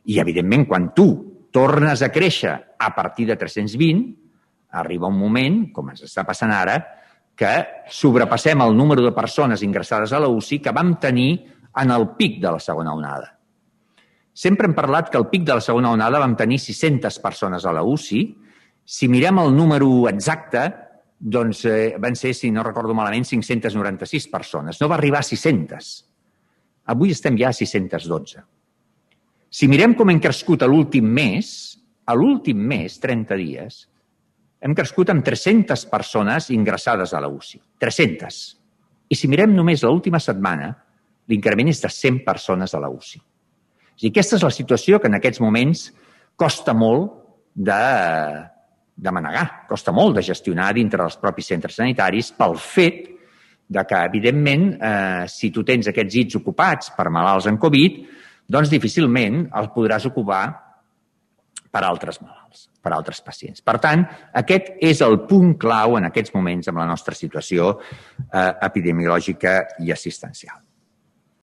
I, evidentment, quan tu tornes a créixer a partir de 320, arriba un moment, com ens està passant ara, que sobrepassem el número de persones ingressades a la UCI que vam tenir en el pic de la segona onada. Sempre hem parlat que al pic de la segona onada vam tenir 600 persones a la UCI. Si mirem el número exacte, doncs van ser, si no recordo malament, 596 persones. No va arribar a 600. Avui estem ja a 612. Si mirem com hem crescut a l'últim mes, 30 dies, hem crescut amb 300 persones ingressades a la UCI. 300. I si mirem només l'última setmana, l'increment és de 100 persones a la UCI. Aquesta és la situació que en aquests moments costa molt de manegar, costa molt de gestionar dintre dels propis centres sanitaris pel fet que, evidentment, si tu tens aquests llits ocupats per malalts en Covid, doncs difícilment els podràs ocupar per altres malalts, per altres pacients. Per tant, aquest és el punt clau en aquests moments amb la nostra situació epidemiològica i assistencial.